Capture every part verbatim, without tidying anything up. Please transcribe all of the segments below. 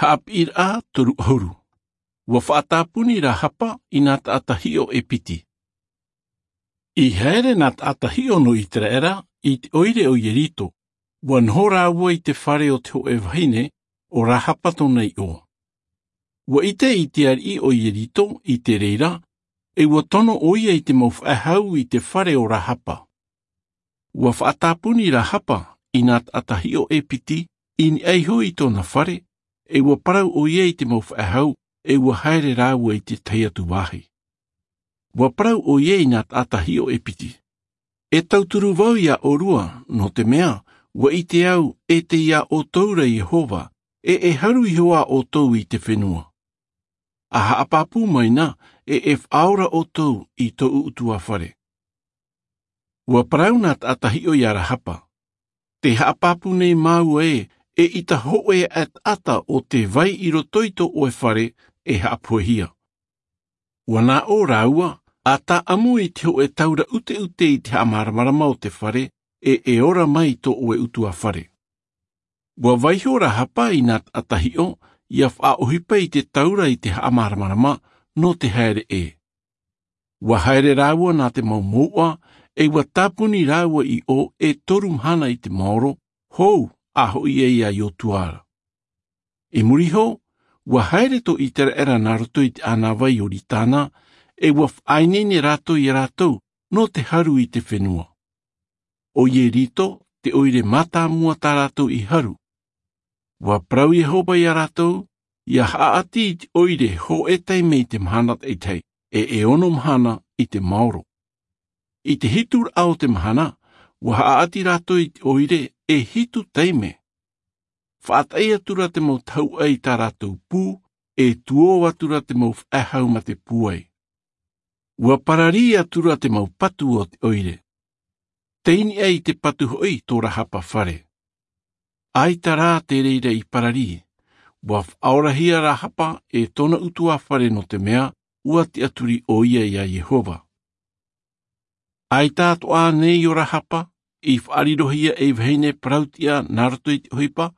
Haʻapiʻiraʻa toru ʻahuru. Ua faʻatāpuni rahapa i nā taʻata hiʻo e piti. I haere nā taʻata hiʻo nō iteraera i te ʻoire o ierito. Ua noho rāua i te fare o te hoʻe vahine o rahapa tōna iʻoa. Ua ʻite i te ariʻi o ierito i te reira, e ua tono ʻoia i te mau faʻehau i te fare o rahapa. Ua faʻatāpuni rahapa i nā taʻata hiʻo e piti i niʻa iho i tōna fare, e ua parau ʻoia i te mau faʻehau, e ua haere rāua i te tahi atu vāhi. Ua parau ʻoia i nā taʻata hiʻo e piti, e tauturu vau iā ʻōrua, nō te mea ua ʻite au e tei iā ʻoutou ra iehova, e e haru iho ā ʻoutou i te fenua. A haʻapāpū mai na, e e faʻaora ʻoutou i tōʻu ʻutuāfare. Ua parau nā taʻata hiʻo iā rahapa, te haʻapāpū nei māua ē, e ʻita hoʻe aʻe taʻata o te vai i roto i tō ʻoe fare e haʻapohehia. Ua nā ʻō rāua, a tāʻamu i te hoʻe taura ʻuteʻute i te haʻamāramarama o te fare, e e ora mai tō ʻoe ʻutuāfare. Ua vaiho rahapa i nā taʻata hiʻo ia faʻaʻohipa i te taura i te haʻamāramarama nō te haere ʻē. Ua haere rāua nā te mau mouʻa, e ua tāpuni rāua i ʻō e toru mahana i te maoro, hou a hoʻi ai iā iotua ra. I muri iho, ua haere tō iteraera nā roto i te ʻānāvai o ioritana, e ua faʻaineine rātou iā rātou nō te haru i te fenua. O ierito te ʻoire mātāmua tā rātou i haru. Ua parau iehova iā rātou, ia haʻaʻati i te ʻoire hoʻe taime i te mahana taʻitahi, e e ono mahana i te maoro. I te hitu raʻa o te mahana, ua haʻaʻati rātou i te ʻoire e hitu taime. Faʻataʻi atu ra te mau tahuʻa i tā rātou pū, e tuō atu ra te mau faʻehau mā te pūai. Ua pararī atu ra te mau patu o te ʻoire, tei niʻa i te patu hoʻi tō rahapa fare. ʻAita rā te reira i pararī. Ua faʻaorahia rahapa e tōna ʻutuāfare nō te mea ua tiʻaturi ʻoia iā iehova. ʻAita atoʻa nei o rahapa i faʻarirohia ei vahine parauʻtiʻa nā roto i te ʻohipa,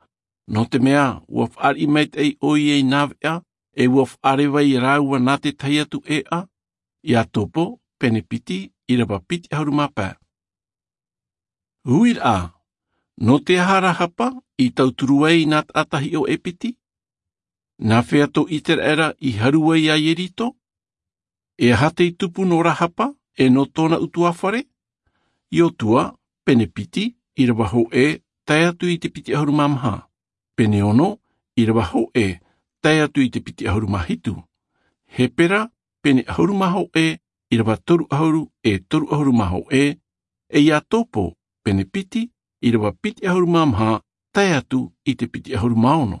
nō te mea ua faʻariʻi maitaʻi ʻoia i nā veʻa, e ua faʻareva iā rāua nā te tahi atu ʻēʻa. Iakobo pene piti, ʻīrava piti ʻahuru mā pae. Uiraʻa, nō te aha rahapa i tauturu ai nā taʻata hiʻo e piti? Nā hea tō iteraera i haru ai iā ieriko? E aha tei tupu nō rahapa e nō tōna ʻutuāfare? Iotua pene piti, ʻīrava hōʻē tae atu i te piti ʻahuru mā maha. Pene ono, ʻīrava hōʻē tae atu i te piti ʻahuru mā hitu. Hepera pene ʻahuru mā hōʻē, ʻīrava toru ʻahuru e toru ʻahuru mā hōʻē. E iakobo pene piti, ʻīrava piti ʻahuru mā maha tae atu i te piti ʻahuru mā ono.